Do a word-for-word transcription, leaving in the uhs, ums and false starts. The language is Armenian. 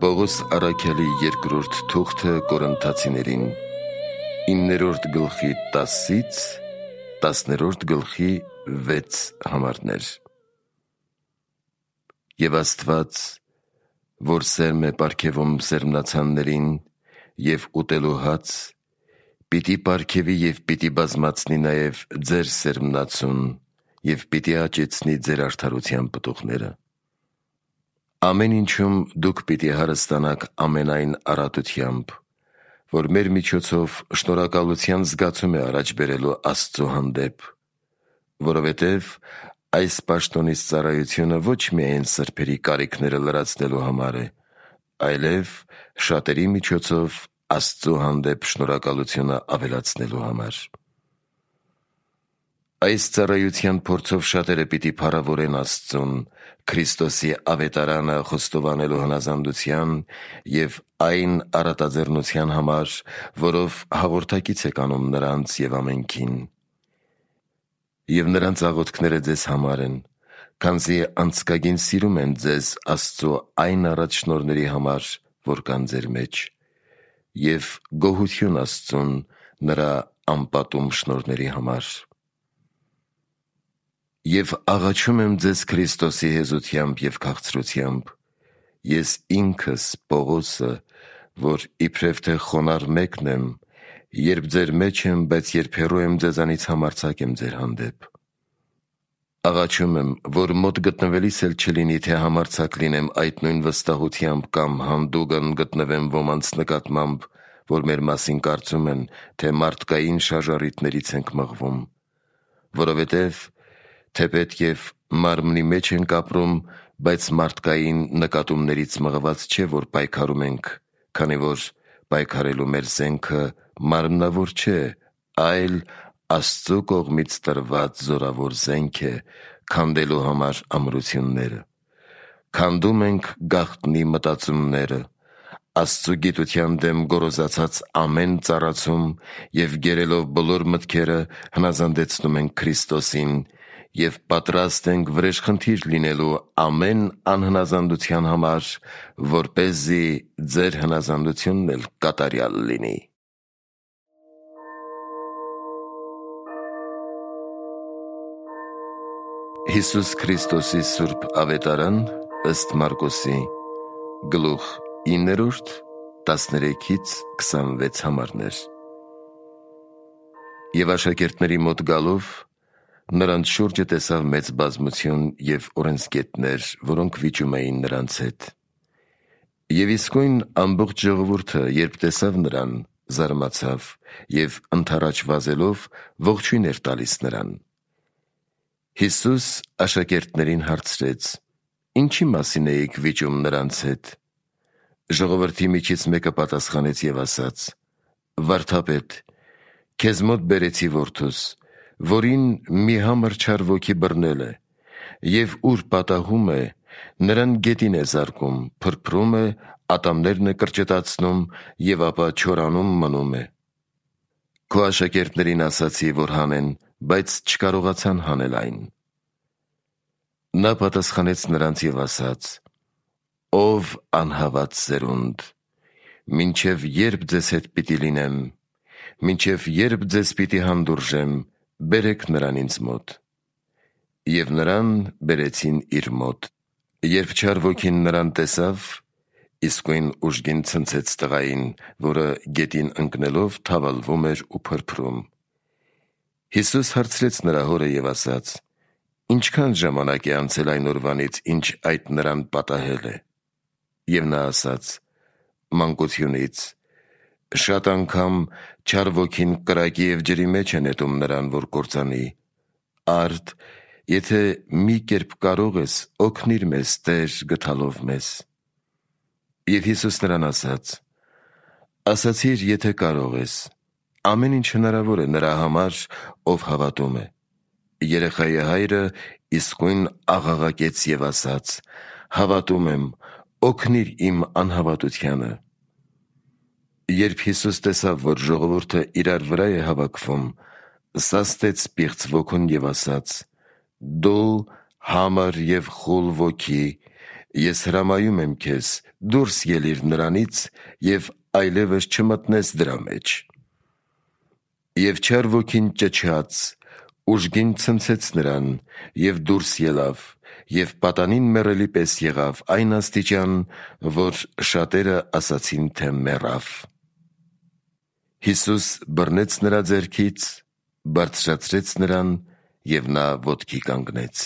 Պողոս առաքյալի երկրորդ թուղթը Կորինթացիներին, իններորդ գլխի տասից տասներորդ գլխի վեց համարներ։ Եվ Աստված, որ սերմ է պարգևում սերմնացաններին և ուտելու հաց, պիտի պարգևի և պիտի բազմացնի նաև ձեր սերմնացուն և պիտի աճեցնի ձեր արդարության պտուղները։ Ամեն ինչում դուք պիտի հարստանաք ամենայն առատությամբ, որ մեր միջոցով շնորհակալության զգացում է առաջ բերելու Աստծու հանդեպ, որովհետև այս պաշտոնից ծառայությունը ոչ միայն սրբերի կարիքները լրացնելու համար է, այլև շատերի միջոցով Աստծու հանդեպ շնորհակալությունը ավելացնելու համար։ Այս ծառայության փորձով շատերը պիտի փառավորեն Աստծուն, Քրիստոսի ավետարանը խոստովանելու հնազանդության և այն առատաձեռնության համար, որով հաղորդակից եք անում նրանց և ամենքին։ Եվ նրանց աղոթքները ձեզ համար են, քանզի անձկագին սիրում են ձեզ Աստծու այն առաջնորդների համար, որ կան ձեր մեջ, և գոհություն Աստծուն նրա անպատում շնորհների համար։ Եվ աղաչում եմ ձեզ Քրիստոսի հեզությամբ և քաղցրությամբ, ես ինքս Պողոսը, որ իբրև թե խոնարհ մեկն եմ, երբ ձեր մեջ եմ, բայց երբ հեռու եմ ձեզանից համարձակ եմ ձեր հանդեպ։ Աղաչում եմ, որ մոտ գտնվելիս էլ չլինի, թե համարձակ լինեմ այդ նույն վստահությամբ կամ հանդուգն գտնվեմ ոմանց նկատմամբ, որ մեր մասին կարծում են, թե մարդկային շարժառիթներից ենք մղվում, որովհետև թեպետ և մարմնի մեջ ենք ապրում, բայց մարդկային նկատումներից մղված չէ, որ պայքարում ենք, քանի որ պայքարելու մեր զենքը մարմնավոր չէ, այլ Աստծու կողմից տրված զորավոր զենք է, քանդելու համար ամրությունները։ Քանդում ենք գաղտնի մտածումները, Աստծու գիտության դեմ գոռոզացած ամեն ծառացում և գերելով բոլոր մտքերը հնազանդեցնում ենք Քրիստոսին և պատրաստ ենք վրեժխնդիր լինելու ամեն անհնազանդության համար, որպեսզի ձեր հնազանդությունն էլ կատարյալ լինի։ Հիսուս Քրիստոսի սուրբ ավետարան ըստ Մարկոսի, գլուխ իններորդ, տասներեքից քսանվեց համարներ։ Եվ աշակերտների մոտ գալով, նրանց շուրջը տեսավ մեծ բազմություն և օրենսգետներ, որոնք վիճում էին նրանց հետ։ Եվ իսկույն ամբողջ ժողովուրդը, երբ տեսավ նրան, զարմացավ և ընդառաջ վազելով ողջույն էր տալիս նրան։ Հիսուս աշակերտներին հարցրեց. «Ինչի մասին էիք վիճում նրանց հետ»։ Ժողովրդի միջից մեկը պատասխանեց և ասաց. «Վարդապետ, քեզ մոտ բերեցի որդուս, որին մի համր չար ոգի բռնել է, և ուր պատահում է, նրան գետին է զարկում, փրփրում է, ատամներն է կրճտացնում և ապա չորանում մնում է։ Քո աշակերտներին ասացի, որ հանեն, բայց չկարողացան հանել այն»։ Նա պատասխանեց նրանց և ասաց. «Ով անհավատ սերունդ, մինչև ե՞րբ ձեզ հետ պիտի լինեմ, մինչև ե՞րբ ձեզ պիտի հանդուրժեմ, բերեք նրան ինձ մոտ»։ Եվ նրան բերեցին իր մոտ։ Երբ չար ոգին նրան տեսավ, իսկույն ուժգին ցնցեց տղային, որը գետին ընկնելով թավալվում էր ու փրփրում։ Հիսուս հարցրեց նրա հորը և ասաց. «Ինչքան ժամանակ է անցել այն օրվանից, ինչ այդ նրան պատահել է»։ Եվ նա ասաց. «Մանկությունից. շատ անգամ չար ոգին կրակի և ջրի մեջ է նետում նրան, որ կործանի։ Արդ, եթե մի կերպ կարող ես, օգնիր մեզ, Տեր, գթալով մեզ»։ Եվ Հիսուս նրան ասաց. «Ասացիր, եթե կարող ես. ամեն ինչ հնարավոր է նրա համար, ով հավատում է»։ Երեխայի հայրը իսկույն աղաղակեց և ասաց. «Հավատում եմ, օգնիր իմ անհավատությանը»։ Երբ Հիսուս տեսավ, որ ժողովուրդը իրար վրա է հավաքվում, սաստեց պիղծ ոգուն և ասաց. «Դու համր և խուլ ոգի, Ես հրամայում եմ քեզ, դուրս ելիր նրանից և այլևս չմտնես դրա մեջ։ Եվ չար ոգին ճչաց, ուժգին ցնցեց նրան և դուրս ելավ, և պատանին մեռելի պես եղավ այն աստիճան, որ շատերը ասացին, թե մեռավ։ Հիսուս բռնեց նրա ձեռքից, բարձրացրեց նրան, և նա ոտքի կանգնեց։